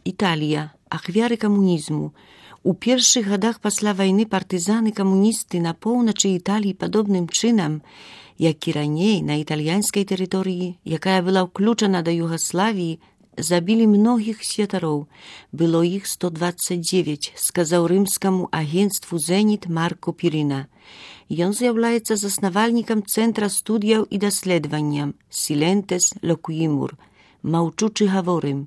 Італія. Ахвяры камунізму. У першых гадах пасля вайны партызаны-камуністы на поўначы Італіі падобным чынам, як і раней на італьянскай тэрыторыі, якая была ўключана да Югаславіі, забілі многіх святароў. Было іх 129, сказаў рымскаму агенцтву «Зеніт» Марко Пірына. Ён з'яўляецца заснавальнікам Цэнтра студыяў і даследаванняў «Сілентес локуімур» – «Маўчучы гаворым»,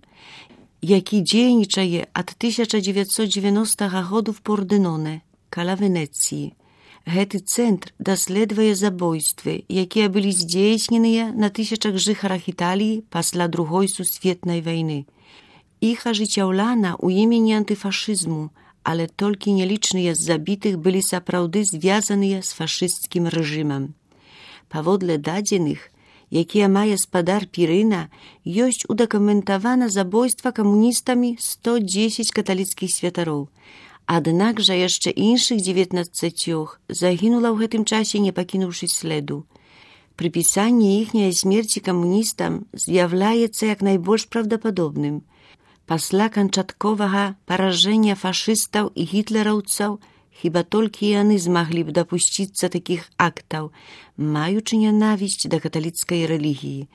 які дзейнічае ад 1990 году в Порденоне, каля Венецыі. Гэты цэнтр даследуе забойствы, якія былі здзейсненыя на тысячах жыхарах Італіі пасля Другой сусветнай вайны. Іх ажыццяўляна ў імені антыфашызму, але толькі нялічныя з забітых былі сапраўды звязаныя з фашысцкім рэжымам. Паводле дадзеных, якія мае спадар Пірына, ёсць удакументавана забойства камуністамі 110 каталіцкіх святароў. Аднак жа яшчэ іншых 19 загінула ў гэтым часе, не пакінуўшы следу. Прыпісанне іхняй смерці камуністам з'яўляецца як найбольш правдападобным. Пасля канчатковага паражэння фашыстаў і гітлераўцаў хіба толькі яны змаглі б дапусціцца такіх актаў, маючы нянавісць да каталіцкай рэлігіі.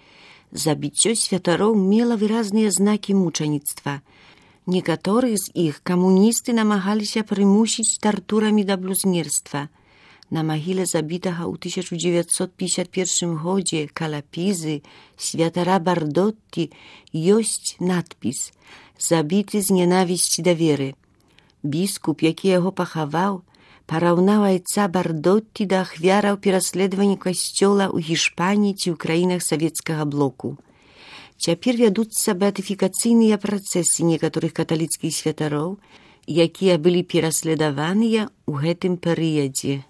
Забіццё святароў мела выразныя знакі мучаніцтва. Некаторых з іх камуністы намагаліся прымусіць тартурамі да блюзнерства. На магіле забітага ў 1951 годзе каля Пізы святара Бардотті ёсць надпіс «Забіты з ненавісці да веры». Біскуп, які яго пахаваў, параўнаў айца Бардотті да ахвяраў пераследавання касцёла ў Гішпаніі ці ў краінах савецкага блоку. Цяпер вядуцца беатыфікацыйныя працэсы некаторых каталіцкіх святароў, якія былі пераследаваныя ў гэтым перыядзе.